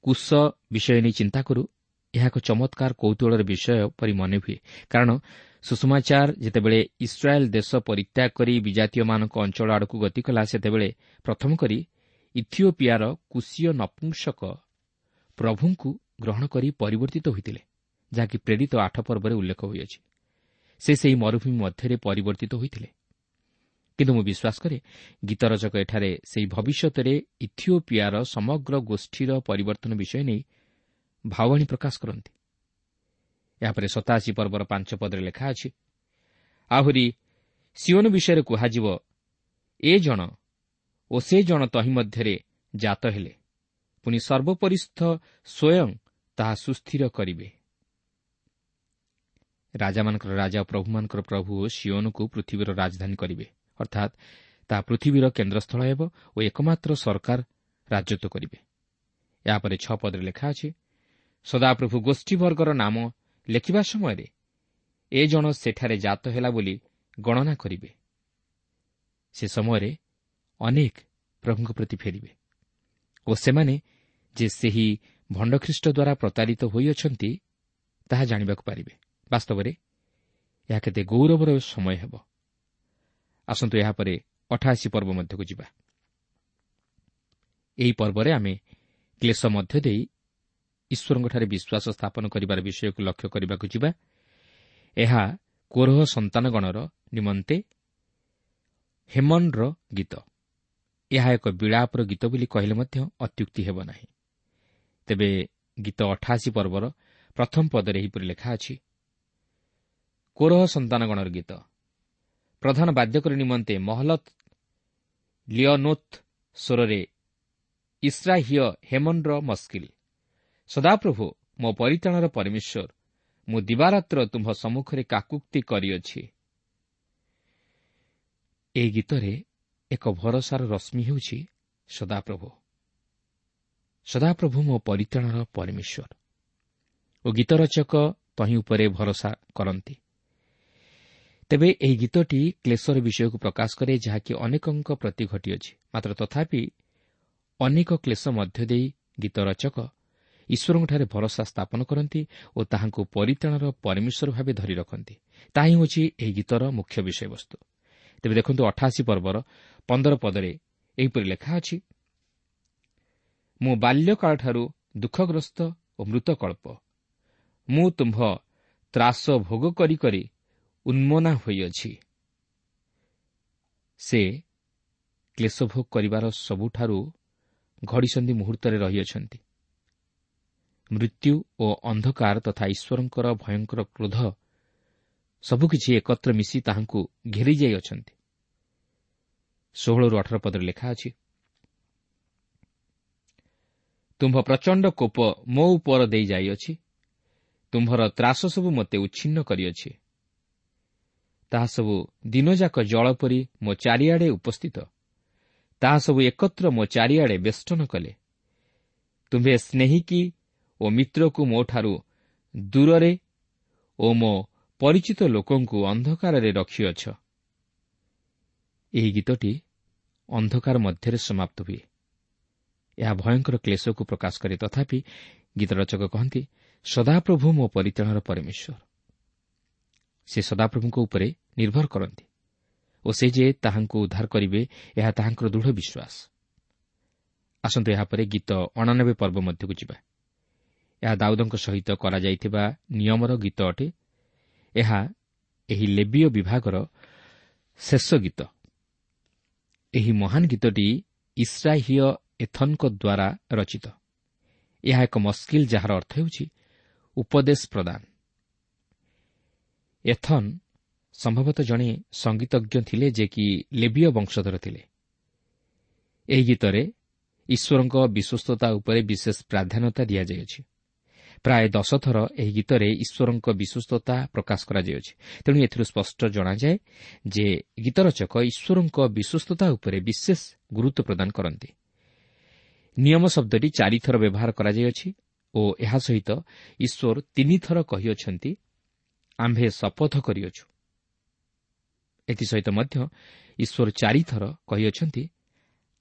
କୁଶ ବିଷୟ ନେଇ ଚିନ୍ତା କରୁ, ଏହା ଏକ ଚମତ୍କାର କୌତୂହଳର ବିଷୟ ପରି ମନେ ହୁଏ, କାରଣ ସୁଷମାଚାର ଯେତେବେଳେ ଇସ୍ରାଏଲ୍ ଦେଶ ପରିତ୍ୟାଗ କରି ବିଜାତୀୟମାନଙ୍କ ଅଞ୍ଚଳ ଆଡ଼କୁ ଗତି କଲା, ସେତେବେଳେ ପ୍ରଥମ କରି ଇଥିଓପିଆର କୁଶୀୟ ନପୁଂସକ ପ୍ରଭୁଙ୍କୁ ଗ୍ରହଣ କରି ପରିବର୍ତ୍ତିତ ହୋଇଥିଲେ, ଯାହାକି ପ୍ରେରିତ 8 ପର୍ବରେ ଉଲ୍ଲେଖ ହୋଇଅଛି। ସେ ସେହି ମରୁଭୂମି ମଧ୍ୟରେ ପରିବର୍ତ୍ତିତ ହୋଇଥିଲେ। କିନ୍ତୁ ମୁଁ ବିଶ୍ୱାସ କରେ ଗୀତରଚକ ଏଠାରେ ସେହି ଭବିଷ୍ୟତରେ ଇଥିଓପିଆର ସମଗ୍ର ଗୋଷ୍ଠୀର ପରିବର୍ତ୍ତନ ବିଷୟ ନେଇ ଭାବବାଣୀ ପ୍ରକାଶ କରନ୍ତି। ଏହାପରେ 87 ପର୍ବର 5 ପଦରେ ଲେଖା ଅଛି, ଆହୁରି ସିଓନ ବିଷୟରେ କୁହାଯିବ, ଏ ଜଣ ଓ ସେ ଜଣ ତହିଁ ମଧ୍ୟରେ ଜାତ ହେଲେ, ପୁଣି ସର୍ବୋପରିସ୍ଥ ସ୍ୱୟଂ ତାହା ସୁସ୍ଥିର କରିବେ। ରାଜାମାନଙ୍କର ରାଜା ଓ ପ୍ରଭୁମାନଙ୍କର ପ୍ରଭୁ ସିଓନକୁ ପୃଥିବୀର ରାଜଧାନୀ କରିବେ, ଅର୍ଥାତ୍ ତାହା ପୃଥିବୀର କେନ୍ଦ୍ରସ୍ଥଳ ହେବ ଓ ଏକମାତ୍ର ସରକାର ରାଜତ୍ୱ କରିବେ। ଏହାପରେ 6 ପଦରେ ଲେଖା ଅଛି, ସଦାପ୍ରଭୁ ଗୋଷ୍ଠୀବର୍ଗର ନାମ ଲେଖିବା ସମୟରେ ଏ ଜଣ ସେଠାରେ ଜାତ ହେଲା ବୋଲି ଗଣନା କରିବେ। ସେ ସମୟରେ ଅନେକ ପ୍ରଭୁଙ୍କ ପ୍ରତି ଫେରିବେ ଓ ସେମାନେ ଯେ ସେହି ଭଣ୍ଡଖ୍ରୀଷ୍ଟ ଦ୍ୱାରା ପ୍ରତାରିତ ହୋଇଅଛନ୍ତି ତାହା ଜାଣିବାକୁ ପାରିବେ। ବାସ୍ତବରେ ଏହା କେତେ ଗୌରବର ସମୟ ହେବ। ଆସନ୍ତୁ ଏହାପରେ 88 ପର୍ବ ମଧ୍ୟକୁ ଯିବା। ଏହି ପର୍ବରେ ଆମେ କ୍ଲେଶ ମଧ୍ୟ ଦେଇ ଈଶ୍ୱରଙ୍କଠାରେ ବିଶ୍ୱାସ ସ୍ଥାପନ କରିବାର ବିଷୟକୁ ଲକ୍ଷ୍ୟ କରିବାକୁ ଯିବା। ଏହା କୋରହ ସନ୍ତାନଗଣର ନିମନ୍ତେ ହେମନର ଗୀତ। ଏହା ଏକ ବିଳାପର ଗୀତ ବୋଲି କହିଲେ ମଧ୍ୟ ଅତ୍ୟୁକ୍ତି ହେବ ନାହିଁ। ତେବେ ଗୀତ 88 ପର୍ବର ପ୍ରଥମ ପଦରେ ଏହିପରି ଲେଖା ଅଛି, କୋରହ ସନ୍ତାନଗଣର ଗୀତ, ପ୍ରଧାନ ବାଦ୍ୟକରୀ ନିମନ୍ତେ ମହଲତ ଲିଅନୋଥ୍ ସ୍ୱରରେ ଇସ୍ରାହୀୟ ହେମନର ମସ୍କିଲ। ସଦାପ୍ରଭୁ ମୋ ପରିତ୍ରାଣର ପରମେଶ୍ୱର, ମୁଁ ଦିବାରାତ୍ର ତୁମ୍ଭ ସମ୍ମୁଖରେ କାକୁକ୍ତି କରିଅଛି। ଏହି ଗୀତରେ ଏକ ଭରସାର ରଶ୍ମି ହେଉଛି ସଦାପ୍ରଭୁ। ସଦାପ୍ରଭୁ ମୋ ପରିତ୍ରାଣର ପରମେଶ୍ୱର ଓ ଗୀତ ରଚକ ତହିଁ ଉପରେ ଭରସା କରନ୍ତି। ତେବେ ଏହି ଗୀତଟି କ୍ଲେଶର ବିଷୟକୁ ପ୍ରକାଶ କରେ, ଯାହାକି ଅନେକଙ୍କ ପ୍ରତି ଘଟିଅଛି। ମାତ୍ର ତଥାପି ଅନେକ କ୍ଲେଶ ମଧ୍ୟ ଦେଇ ଗୀତ ରଚକ ଈଶ୍ୱରଙ୍କଠାରେ ଭରସା ସ୍ଥାପନ କରନ୍ତି ଓ ତାହାଙ୍କୁ ପରିତ୍ରାଣର ପରମେଶ୍ୱର ଭାବେ ଧରି ରଖନ୍ତି। ତାହା ହିଁ ହେଉଛି ଏହି ଗୀତର ମୁଖ୍ୟ ବିଷୟବସ୍ତୁ। ତେବେ ଦେଖନ୍ତୁ 88 ପର୍ବର 15 ପଦରେ ଏହିପରି ଲେଖା ଅଛି, ମୁଁ ବାଲ୍ୟକାଳଠାରୁ ଦୁଃଖଗ୍ରସ୍ତ ଓ ମୃତକଳ୍ପ, ମୁଁ ତୁମ୍ଭ ତ୍ରାସ ଭୋଗ କରି କରି ଉନ୍ମନା ହୋଇଅଛି। ସେ କ୍ଲେଶ ଭୋଗ କରିବାର ସବୁଠାରୁ ଘଡ଼ିସନ୍ଧି ମୁହୂର୍ତ୍ତରେ ରହିଅଛନ୍ତି। ମୃତ୍ୟୁ ଓ ଅନ୍ଧକାର ତଥା ଈଶ୍ୱରଙ୍କର ଭୟଙ୍କର କ୍ରୋଧ ସବୁକିଛି ଏକତ୍ର ମିଶି ତାହାଙ୍କୁ ଘେରିଯାଇଅଛନ୍ତି। 16-18 ପଦରେ ଲେଖା ଅଛି, ତୁମ୍ଭ ପ୍ରଚଣ୍ଡ କୋପ ମୋ ଉପର ଦେଇ ଯାଇଅଛି, ତୁମ୍ଭର ତ୍ରାସ ସବୁ ମୋତେ ଉଚ୍ଛିନ୍ନ କରିଅଛି। ତାହା ସବୁ ଦିନଯାକ ଜଳ ପରି ମୋ ଚାରିଆଡ଼େ ଉପସ୍ଥିତ, ତାହା ସବୁ ଏକତ୍ର ମୋ ଚାରିଆଡ଼େ ବେଷ୍ଟନ କଲେ। ତୁମ୍ଭେ ସ୍ନେହିକି ଓ ମିତ୍ରକୁ ମୋଠାରୁ ଦୂରରେ ଓ ମୋ ପରିଚିତ ଲୋକଙ୍କୁ ଅନ୍ଧକାରରେ ରଖିଅଛ। ଏହି ଗୀତଟି ଅନ୍ଧକାର ମଧ୍ୟରେ ସମାପ୍ତ ହୁଏ। ଏହା ଭୟଙ୍କର କ୍ଲେଶକୁ ପ୍ରକାଶ କରେ। ତଥାପି ଗୀତ ରଚକ କହନ୍ତି, ସଦାପ୍ରଭୁ ମୋ ପରିତ୍ରାଣର ପରମେଶ୍ୱର। ସେ ସଦାପ୍ରଭୁଙ୍କ ଉପରେ ନିର୍ଭର କରନ୍ତି ଓ ସେ ଯେ ତାହାଙ୍କୁ ଉଦ୍ଧାର କରିବେ, ଏହା ତାହାଙ୍କର ଦୃଢ଼ ବିଶ୍ୱାସ। ଆସନ୍ତୁ ଏହାପରେ ଗୀତ 89 ପର୍ବ ମଧ୍ୟକୁ ଯିବା। ଏହା ଦାଉଦଙ୍କ ସହିତ କରାଯାଇଥିବା ନିୟମର ଗୀତ ଅଟେ। ଏହା ଏହି ଲେବୀୟ ବିଭାଗର ଶେଷ ଗୀତ। ଏହି ମହାନ ଗୀତଟି ଇସ୍ରାହୀୟ ଏଥନଙ୍କ ଦ୍ୱାରା ରଚିତ। ଏହା ଏକ ମସ୍କିଲ, ଯାହାର ଅର୍ଥ ହେଉଛି ଉପଦେଶ ପ୍ରଦାନ। ଏଥନ୍ ସମ୍ଭବତଃ ଜଣେ ସଙ୍ଗୀତଜ୍ଞ ଥିଲେ, ଯେ କି ଲେବୀୟ ବଂଶଧର ଥିଲେ। ଏହି ଗୀତରେ ଈଶ୍ୱରଙ୍କ ବିଶ୍ୱସ୍ତତା ଉପରେ ବିଶେଷ ପ୍ରାଧାନ୍ୟତା ଦିଆଯାଇଅଛି। ପ୍ରାୟ 10 ଥର ଏହି ଗୀତରେ ଈଶ୍ୱରଙ୍କ ବିଶ୍ୱସ୍ତତା ପ୍ରକାଶ କରାଯାଇଅଛି। ତେଣୁ ଏଥିରୁ ସ୍ପଷ୍ଟ ଜଣାଯାଏ ଯେ ଗୀତରଚକ ଈଶ୍ୱରଙ୍କ ବିଶ୍ୱସ୍ତତା ଉପରେ ବିଶେଷ ଗୁରୁତ୍ୱ ପ୍ରଦାନ କରନ୍ତି। ନିୟମ ଶବ୍ଦଟି 4 ଥର ବ୍ୟବହାର କରାଯାଇଅଛି ଓ ଏହା ସହିତ ଈଶ୍ୱର 3 ଥର କହିଅଛନ୍ତି, ଆମ୍ଭେ ଶପଥ କରିଅଛୁ। ଏଥିସହିତ ମଧ୍ୟ ଈଶ୍ୱର 4 ଥର କହିଅଛନ୍ତି,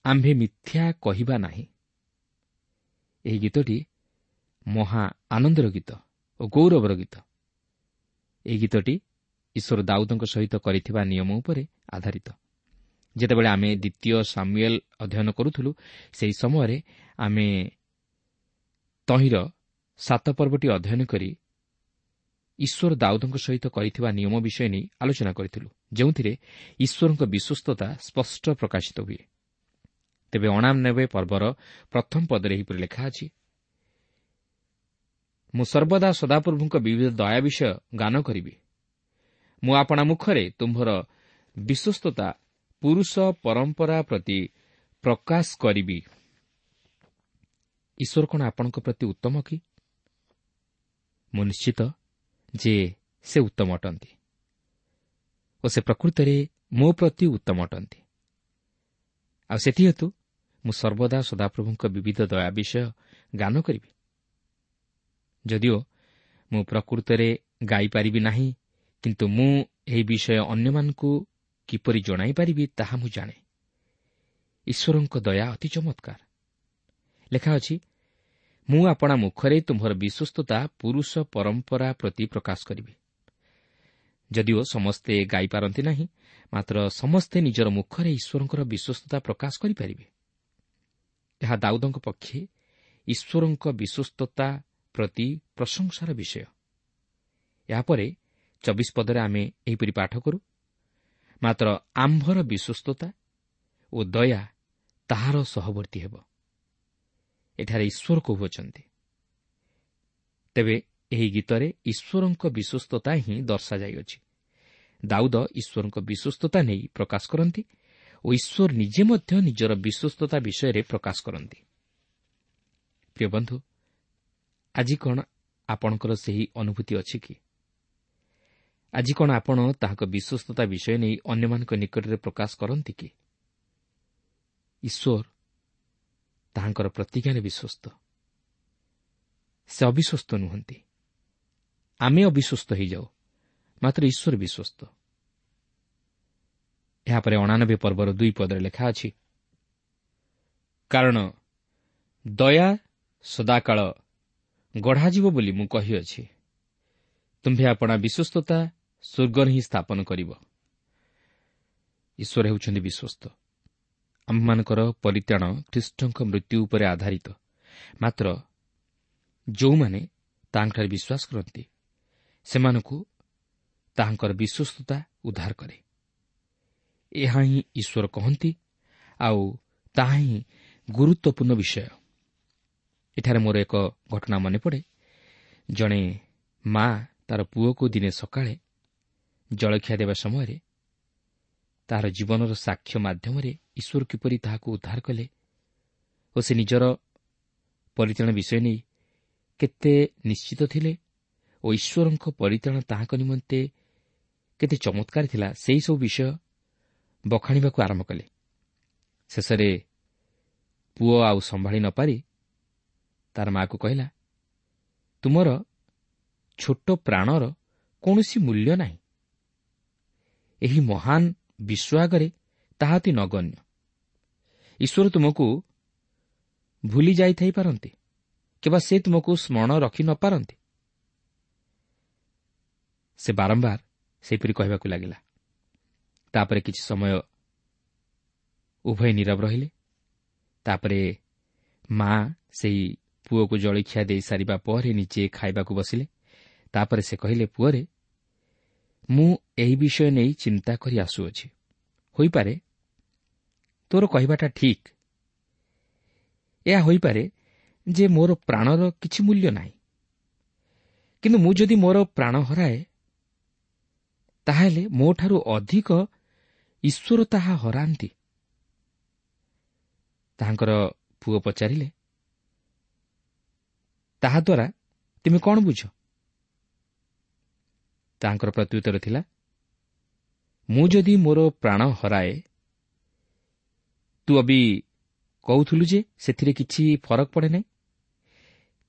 ଆମ୍ଭେ ମିଥ୍ୟା କହିବା ନାହିଁ। ଏହି ଗୀତଟି ମହା ଆନନ୍ଦର ଗୀତ ଓ ଗୌରବର ଗୀତ। ଏହି ଗୀତଟି ଈଶ୍ୱର ଦାଉଦଙ୍କ ସହିତ କରିଥିବା ନିୟମ ଉପରେ ଆଧାରିତ। ଯେତେବେଳେ ଆମେ ଦ୍ୱିତୀୟ ସାମୁଏଲ ଅଧ୍ୟୟନ କରୁଥିଲୁ, ସେହି ସମୟରେ ଆମେ ତହିଁର 7 ପର୍ବଟି ଅଧ୍ୟୟନ କରି ଈଶ୍ୱର ଦାଉଦଙ୍କ ସହିତ କରିଥିବା ନିୟମ ବିଷୟ ନେଇ ଆଲୋଚନା କରିଥିଲୁ, ଯେଉଁଥିରେ ଈଶ୍ୱରଙ୍କ ବିଶ୍ୱସ୍ତତା ସ୍ପଷ୍ଟ ପ୍ରକାଶିତ ହୁଏ। ତେବେ 89 ପର୍ବର ପ୍ରଥମ ପଦରେ ଏହିପରି ଲେଖା ଅଛି, ମୁଁ ସର୍ବଦା ସଦାପ୍ରଭୁଙ୍କ ବିବିଧ ଦୟା ବିଷୟ ଗାନ କରିବି। ମୁଁ ଆପଣା ମୁଖରେ ତୁମ୍ଭର ବିଶ୍ୱସ୍ତତା ପୁରୁଷ ପରମ୍ପରା ପ୍ରତି ପ୍ରକାଶ କରିବି। ଈଶ୍ୱର କ'ଣ ଆପଣଙ୍କ ପ୍ରତି ଉତ୍ତମ କି? ମୁଁ ନିଶ୍ଚିତ ଯେ ସେ ଉତ୍ତମ ଅଟନ୍ତି ଓ ସେ ପ୍ରକୃତରେ ମୋ ପ୍ରତି ଉତ୍ତମ ଅଟନ୍ତି। ଆଉ ସେଥିହେତୁ ମୁଁ ସର୍ବଦା ସଦାପ୍ରଭୁଙ୍କ ବିବିଧ ଦୟା ବିଷୟ ଗାନ କରିବି। ଯଦିଓ ମୁଁ ପ୍ରକୃତରେ ଗାଇପାରିବି ନାହିଁ, କିନ୍ତୁ ମୁଁ ଏହି ବିଷୟ ଅନ୍ୟମାନଙ୍କୁ କିପରି ଜଣାଇପାରିବି ତାହା ମୁଁ ଜାଣେ। ଈଶ୍ୱରଙ୍କ ଦୟା ଅତି ଚମତ୍କାର। ଲେଖା ଅଛି, ମୁଁ ଆପଣା ମୁଖରେ ତୁମ୍ଭର ବିଶ୍ୱସ୍ତତା ପୁରୁଷ ପରମ୍ପରା ପ୍ରତି ପ୍ରକାଶ କରିବି। ଯଦିଓ ସମସ୍ତେ ଗାଇପାରନ୍ତି ନାହିଁ, ମାତ୍ର ସମସ୍ତେ ନିଜର ମୁଖରେ ଈଶ୍ୱରଙ୍କର ବିଶ୍ୱସ୍ତତା ପ୍ରକାଶ କରିପାରିବେ। ଏହା ଦାଉଦଙ୍କ ପକ୍ଷେ ଈଶ୍ୱରଙ୍କ ବିଶ୍ୱସ୍ତତା ପ୍ରତି ପ୍ରଶଂସାର ବିଷୟ। ଏହାପରେ 24 ପଦରେ ଆମେ ଏହିପରି ପାଠ କରୁ, ମାତ୍ର ଆମ୍ଭର ବିଶ୍ୱସ୍ତତା ଓ ଦୟା ତାହାର ସହବର୍ତ୍ତୀ ହେବ। ଏଠାରେ ଈଶ୍ୱର କହୁଅଛନ୍ତି। ତେବେ ଏହି ଗୀତରେ ଈଶ୍ୱରଙ୍କ ବିଶ୍ୱସ୍ତତା ହିଁ ଦର୍ଶାଯାଇଅଛି। ଦାଉଦ ଈଶ୍ୱରଙ୍କ ବିଶ୍ୱସ୍ତତା ନେଇ ପ୍ରକାଶ କରନ୍ତି ଓ ଈଶ୍ୱର ନିଜେ ମଧ୍ୟ ନିଜର ବିଶ୍ୱସ୍ତତା ବିଷୟରେ ପ୍ରକାଶ କରନ୍ତି। ପ୍ରିୟ ବନ୍ଧୁ, ଆଜି କ'ଣ ଆପଣଙ୍କର ସେହି ଅନୁଭୂତି ଅଛି କି? ଆଜି କ'ଣ ଆପଣ ତାହାଙ୍କ ବିଶ୍ୱସ୍ତତା ବିଷୟ ନେଇ ଅନ୍ୟମାନଙ୍କ ନିକଟରେ ପ୍ରକାଶ କରନ୍ତି କି? ଈଶ୍ୱର ତାହାଙ୍କର ପ୍ରତିଜ୍ଞାରେ ବିଶ୍ୱସ୍ତ। ସେ ଅବିଶ୍ୱସ୍ତ ନୁହନ୍ତି। ଆମେ ଅବିଶ୍ୱସ୍ତ ହୋଇଯାଉ, ମାତ୍ର ଈଶ୍ୱର ବିଶ୍ୱସ୍ତ। ଏହାପରେ 89 ପର୍ବର 2 ପଦରେ ଲେଖା ଅଛି, କାରଣ ଦୟା ସଦାକାଳ ଗଢ଼ାଯିବ ବୋଲି ମୁଁ କହିଅଛି, ତୁମ୍ଭେ ଆପଣା ବିଶ୍ୱସ୍ତତା ସ୍ୱର୍ଗରେ ହିଁ ସ୍ଥାପନ କରିବ। ଈଶ୍ୱର ହେଉଛନ୍ତି ବିଶ୍ୱସ୍ତ। ଆମ୍ଭମାନଙ୍କର ପରିତ୍ରାଣ ଖ୍ରୀଷ୍ଟଙ୍କ ମୃତ୍ୟୁ ଉପରେ ଆଧାରିତ। ମାତ୍ର ଯେଉଁମାନେ ତାହାଙ୍କଠାରେ ବିଶ୍ୱାସ କରନ୍ତି, ସେମାନଙ୍କୁ ତାହାଙ୍କର ବିଶ୍ୱସ୍ତତା ଉଦ୍ଧାର କରେ। ଏହା ହିଁ ଈଶ୍ୱର କହନ୍ତି, ଆଉ ତାହା ହିଁ ଗୁରୁତ୍ୱପୂର୍ଣ୍ଣ ବିଷୟ। ଏଠାରେ ମୋର ଏକ ଘଟଣା ମନେ ପଡ଼େ। ଜଣେ ମା ତାର ପୁଅକୁ ଦିନେ ସକାଳେ ଜଳଖିଆ ଦେବା ସମୟରେ ତାହାର ଜୀବନର ସାକ୍ଷ୍ୟ ମାଧ୍ୟମରେ ଈଶ୍ୱର କିପରି ତାହାକୁ ଉଦ୍ଧାର କଲେ ଓ ସେ ନିଜର ପରିତ୍ରାଣ ବିଷୟ ନେଇ କେତେ ନିଶ୍ଚିତ ଥିଲେ ଓ ଈଶ୍ୱରଙ୍କ ପରିତ୍ରାଣ ତାହାଙ୍କ ନିମନ୍ତେ କେତେ ଚମତ୍କାର ଥିଲା, ସେହିସବୁ ବିଷୟ ବଖାଣିବାକୁ ଆରମ୍ଭ କଲେ। ଶେଷରେ ପୁଅ ଆଉ ସମ୍ଭାଳି ନପାରି ତାର ମାଆକୁ କହିଲା, ତୁମର ଛୋଟ ପ୍ରାଣର କୌଣସି ମୂଲ୍ୟ ନାହିଁ। ଏହି ମହାନ ବିଶ୍ୱ ଆଗରେ ତାହା ଅତି ନଗଣ୍ୟ। ଈଶ୍ୱର ତୁମକୁ ଭୁଲି ଯାଇଥାଇପାରନ୍ତି କିମ୍ବା ସେ ତୁମକୁ ସ୍ମରଣ ରଖି ନପାରନ୍ତି। ସେ ବାରମ୍ବାର ସେହିପରି କହିବାକୁ ଲାଗିଲା। ତାପରେ କିଛି ସମୟ ଉଭୟ ନୀରବ ରହିଲେ। ତାପରେ ମା ସେଇ ପୁଅକୁ ଜଳଖିଆ ଦେଇ ସାରିବା ପରେ ନିଜେ ଖାଇବାକୁ ବସିଲେ। ତାପରେ ସେ କହିଲେ, ପୁଅରେ, ମୁଁ ଏହି ବିଷୟ ନେଇ ଚିନ୍ତା କରି ଆସୁଅଛି। ହୋଇପାରେ ତୋର କହିବାଟା ଠିକ୍। ଏହା ହୋଇପାରେ ଯେ ମୋର ପ୍ରାଣର କିଛି ମୂଲ୍ୟ ନାହିଁ, କିନ୍ତୁ ମୁଁ ଯଦି ମୋର ପ୍ରାଣ ହରାଏ, ତାହେଲେ ମୋଠାରୁ ଅଧିକ ଈଶ୍ୱର ତାହା ହରାନ୍ତି। ତାହାଙ୍କର ପୁଅ ପଚାରିଲେ, ତାହାଦ୍ୱାରା ତୁମେ କ'ଣ ବୁଝ? ତାହାଙ୍କର ପ୍ରତ୍ୟୁତ୍ତର ଥିଲା, ମୁଁ ଯଦି ମୋର ପ୍ରାଣ ହରାଏ, ତୁ ଅବି କହୁଥିଲୁ ଯେ ସେଥିରେ କିଛି ଫରକ ପଡ଼େ ନାହିଁ,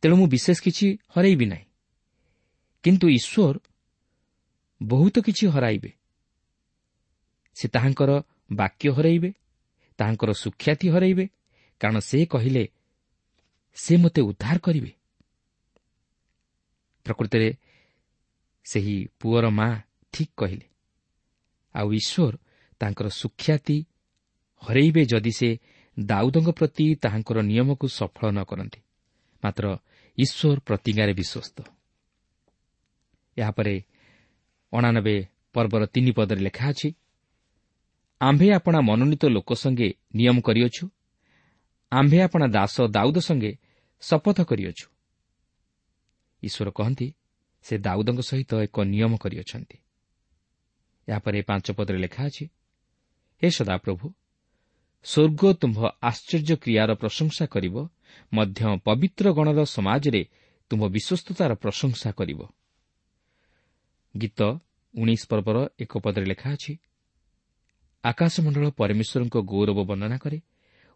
ତେଣୁ ମୁଁ ବିଶେଷ କିଛି ହରାଇବି ନାହିଁ। କିନ୍ତୁ ଈଶ୍ୱର ବହୁତ କିଛି ହରାଇବେ। ସେ ତାହାଙ୍କର ବାକ୍ୟ ହରାଇବେ, ତାହାଙ୍କର ସୁଖ୍ୟାତି ହରାଇବେ, କାରଣ ସେ କହିଲେ ସେ ମୋତେ ଉଦ୍ଧାର କରିବେ। ପ୍ରକୃତରେ ସେହି ପୁଅର ମା ଠିକ୍ କହିଲେ। ଆଉ ଈଶ୍ୱର ତାଙ୍କର ସୁଖ୍ୟାତି ହରାଇବେ ଯଦି ସେ ଦାଉଦଙ୍କ ପ୍ରତି ତାହାଙ୍କର ନିୟମକୁ ସଫଳ ନ କରନ୍ତି। ମାତ୍ର ଈଶ୍ୱର ପ୍ରତିଜ୍ଞାରେ ବିଶ୍ୱସ୍ତ। ଏହାପରେ 89 ପର୍ବର 3 ପଦରେ ଲେଖା ଅଛି, ଆମ୍ଭେ ଆପଣା ମନୋନୀତ ଲୋକ ସଙ୍ଗେ ନିୟମ କରିଅଛୁ, ଆମ୍ଭେ ଆପଣା ଦାସ ଦାଉଦ ସଙ୍ଗେ ଶପଥ କରିଅଛୁ। ଈଶ୍ୱର କହନ୍ତି ସେ ଦାଉଦଙ୍କ ସହିତ ଏକ ନିୟମ କରିଅଛନ୍ତି। ଏହାପରେ 5 ପଦରେ ଲେଖା ଅଛି, ହେ ସଦାପ୍ରଭୁ, ସ୍ୱର୍ଗ ତୁମ୍ଭ ଆଶ୍ଚର୍ଯ୍ୟ କ୍ରିୟାର ପ୍ରଶଂସା କରିବ, ମଧ୍ୟ ପବିତ୍ର ଗଣର ସମାଜରେ ତୁମ୍ଭ ବିଶ୍ୱସ୍ତତାର ପ୍ରଶଂସା କରିବ। ଗୀତ 19 ପର୍ବର 1 ପଦରେ ଲେଖା ଅଛି, ଆକାଶମଣ୍ଡଳ ପରମେଶ୍ୱରଙ୍କ ଗୌରବ ବର୍ଣ୍ଣନା କରେ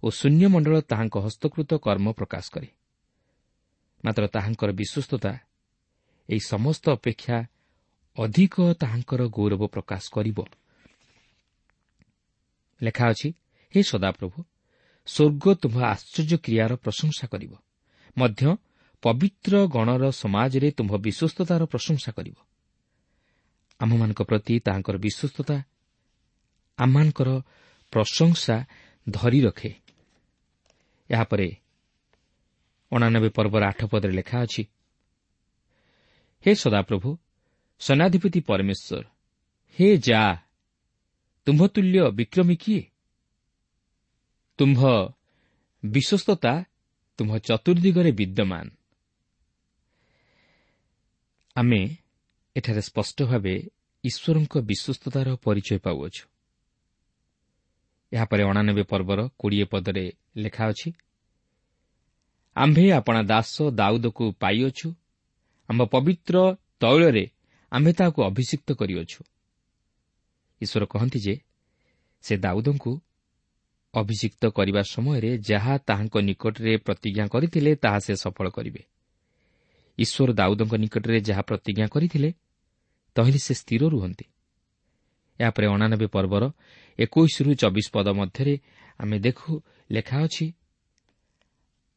ଓ ଶୂନ୍ୟମଣ୍ଡଳ ତାହାଙ୍କ ହସ୍ତକୃତ କର୍ମ ପ୍ରକାଶ କରେ। ମାତ୍ର ତାହାଙ୍କର ବିଶ୍ୱସ୍ତତା ଏହି ସମସ୍ତ ଅପେକ୍ଷା ଅଧିକ ତାହାଙ୍କର ଗୌରବ ପ୍ରକାଶ କରିବ। ଲେଖା ଅଛି, ହେ ସଦାପ୍ରଭୁ, ସ୍ୱର୍ଗ ତୁମ୍ଭ ଆଶ୍ଚର୍ଯ୍ୟ କ୍ରିୟାର ପ୍ରଶଂସା କରିବ, ମଧ୍ୟ ପବିତ୍ର ଗଣର ସମାଜରେ ତୁମ୍ଭ ବିଶ୍ୱସ୍ତତାର ପ୍ରଶଂସା କରିବ। ଆମ୍ଭମାନଙ୍କ ପ୍ରତି ତାହାଙ୍କର ବିଶ୍ୱସ୍ତତା ଆମମାନଙ୍କର ପ୍ରଶଂସା ଧରି ରଖେ। ଏହାପରେ 89 ପର୍ବର 8 ପଦରେ ଲେଖା ଅଛି, ହେ ସଦାପ୍ରଭୁ ସେନାଧିପତି ପରମେଶ୍ୱର, ହେ ଯା, ତୁମ୍ଭ ତୁଲ୍ୟ ବିକ୍ରମୀ କିଏ? ତୁମ୍ଭ ବିଶ୍ୱସ୍ତତା ତୁମ୍ଭ ଚତୁର୍ଦିଗରେ ବିଦ୍ୟମାନ। ଆମେ ଏଠାରେ ସ୍ପଷ୍ଟ ଭାବେ ଈଶ୍ୱରଙ୍କ ବିଶ୍ୱସ୍ତତାର ପରିଚୟ ପାଉଅଛୁ। ଏହାପରେ 89 ପର୍ବର 20 ପଦରେ ଲେଖା ଅଛି, ଆମ୍ଭେ ଆପଣା ଦାସ ଦାଉଦକୁ ପାଇଅଛୁ, ଆମ୍ଭ ପବିତ୍ର ତୈଳରେ ଆମ୍ଭେ ତାହାକୁ ଅଭିଷିକ୍ତ କରିଅଛୁ। ଈଶ୍ୱର କହନ୍ତି ଯେ ସେ ଦାଉଦଙ୍କୁ ଅଭିଷିକ୍ତ କରିବା ସମୟରେ ଯାହା ତାହାଙ୍କ ନିକଟରେ ପ୍ରତିଜ୍ଞା କରିଥିଲେ ତାହା ସେ ସଫଳ କରିବେ। ଈଶ୍ୱର ଦାଉଦଙ୍କ ନିକଟରେ ଯାହା ପ୍ରତିଜ୍ଞା କରିଥିଲେ ତହିଁରେ ସେ ସ୍ଥିର ରୁହନ୍ତି। ଏହାପରେ 89 ପର୍ବର 21ରୁ 24 ପଦ ମଧ୍ୟରେ ଆମେ ଦେଖୁ ଲେଖା ଅଛି,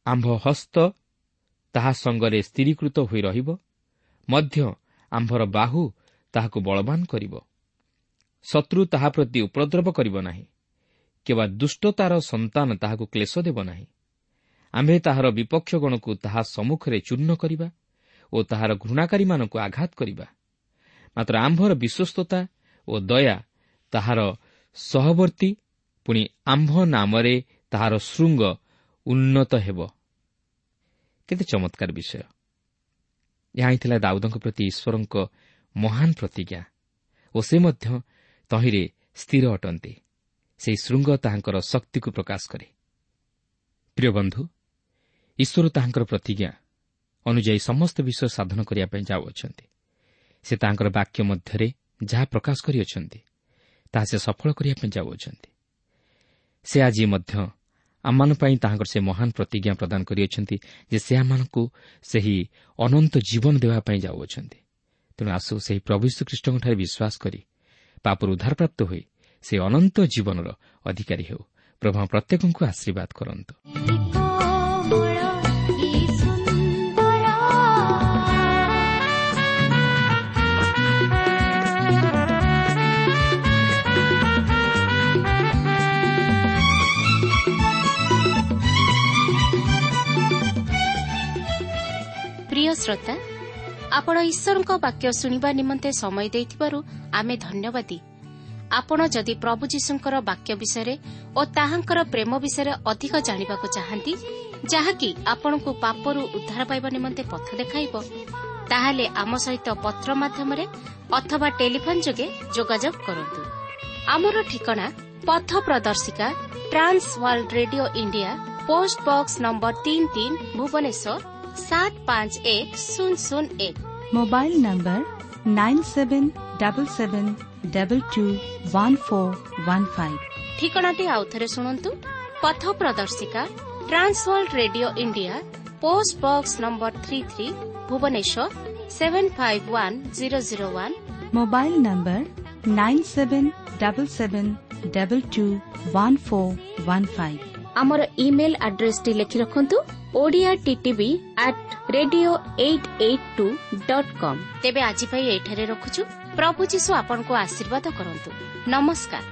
ଆମ୍ଭ ହସ୍ତ ତାହା ସଙ୍ଗରେ ସ୍ଥିରୀକୃତ ହୋଇ ରହିବ, ମଧ୍ୟ ଆମ୍ଭର ବାହୁ ତାହାକୁ ବଳବାନ କରିବ। ଶତ୍ରୁ ତାହା ପ୍ରତି ଉପଦ୍ରବ କରିବ ନାହିଁ, କିମ୍ବା ଦୁଷ୍ଟତାର ସନ୍ତାନ ତାହାକୁ କ୍ଲେଶ ଦେବ ନାହିଁ। ଆମ୍ଭେ ତାହାର ବିପକ୍ଷଗଣକୁ ତାହା ସମ୍ମୁଖରେ ଚୂର୍ଣ୍ଣ କରିବା ଓ ତାହାର ଘୃଣାକାରୀମାନଙ୍କୁ ଆଘାତ କରିବା। ମାତ୍ର ଆମ୍ଭର ବିଶ୍ୱସ୍ତତା ଓ ଦୟା ତାହାର ସହବର୍ତ୍ତୀ, ପୁଣି ଆମ୍ଭ ନାମରେ ତାହାର ଶୃଙ୍ଗ ଉନ୍ନତ ହେବ। କେତେ ଚମତ୍କାର ବିଷୟ! ଏହା ହିଁ ଥିଲା ଦାଉଦଙ୍କ ପ୍ରତି ଈଶ୍ୱରଙ୍କ ମହାନ ପ୍ରତିଜ୍ଞା ଓ ସେ ମଧ୍ୟ ତହିଁରେ ସ୍ଥିର ଅଟନ୍ତି। ସେହି ଶୃଙ୍ଗ ତାହାଙ୍କର ଶକ୍ତିକୁ ପ୍ରକାଶ କରେ। ପ୍ରିୟ ବନ୍ଧୁ, ଈଶ୍ୱର ତାହାଙ୍କର ପ୍ରତିଜ୍ଞା ଅନୁଯାୟୀ ସମସ୍ତ ବିଷୟ ସାଧନ କରିବା ପାଇଁ ଯାଉଅଛନ୍ତି। ସେ ତାହାଙ୍କର ବାକ୍ୟ ମଧ୍ୟରେ ଯାହା ପ୍ରକାଶ କରିଅଛନ୍ତି ତାହା ସେ ସଫଳ କରିବା ପାଇଁ ଯାଉଅଛନ୍ତି। ସେ ଆଜି ମଧ୍ୟ ଆମମାନଙ୍କ ପାଇଁ ତାହାଙ୍କର ସେ ମହାନ ପ୍ରତିଜ୍ଞା ପ୍ରଦାନ କରିଅଛନ୍ତି ଯେ ସେ ଆମମାନଙ୍କୁ ସେହି ଅନନ୍ତ ଜୀବନ ଦେବା ପାଇଁ ଯାଉଅଛନ୍ତି। ତେଣୁ ଆସୁ ସେହି ପ୍ରଭୁ ଯୀଶୁଖ୍ରୀଷ୍ଟଙ୍କଠାରେ ବିଶ୍ୱାସ କରି ପାପରୁ ଉଦ୍ଧାରପ୍ରାପ୍ତ ହୋଇ ସେ ଅନନ୍ତ ଜୀବନର ଅଧିକାରୀ ହେଉ। ପ୍ରଭୁ ପ୍ରତ୍ୟେକଙ୍କୁ ଆଶୀର୍ବାଦ କରନ୍ତୁ। ପ୍ରିୟ ଶ୍ରୋତା, ଆପଣ ଈଶ୍ୱରଙ୍କ ବାକ୍ୟ ଶୁଣିବା ନିମନ୍ତେ ସମୟ ଦେଇଥିବାରୁ ଆମେ ଧନ୍ୟବାଦୀ। ଆପଣ ଯଦି ପ୍ରଭୁ ଯୀଶୁଙ୍କର ବାକ୍ୟ ବିଷୟରେ ଓ ତାହାଙ୍କର ପ୍ରେମ ବିଷୟରେ ଅଧିକ ଜାଣିବାକୁ ଚାହାନ୍ତି, ଯାହାକି ଆପଣଙ୍କୁ ପାପରୁ ଉଦ୍ଧାର ପାଇବା ନିମନ୍ତେ ପଥ ଦେଖାଇବ, ତାହେଲେ ଆମ ସହିତ ପତ୍ର ମାଧ୍ୟମରେ ଅଥବା ଟେଲିଫୋନ୍ ଯୋଗେ ଯୋଗାଯୋଗ କରନ୍ତୁ। ଆମର ଠିକଣା ପଥ ପ୍ରଦର୍ଶିକା, Trans World Radio India, post box number 33, Bhubaneswar 751001। Mobile number 9777221415। ଠିକଣାଟି ଆଉଥରେ ଶୁଣନ୍ତୁ। ପଥ ପ୍ରଦର୍ଶିକା, Trans World Radio India, post box number 33, Bhubaneswar 751001। Mobile number 9777221415। ଆମର ଇମେଲ୍ ଆଡ୍ରେସଟି ଲେଖି ରଖନ୍ତୁ, Odia TTV at radio 882.com। ତେବେ ଆଜି ପାଇଁ ଏଇଠାରେ ରଖୁଛୁ। ପ୍ରଭୁ ଯୀଶୁ ଆପଣଙ୍କୁ ଆଶୀର୍ବାଦ କରନ୍ତୁ। ନମସ୍କାର।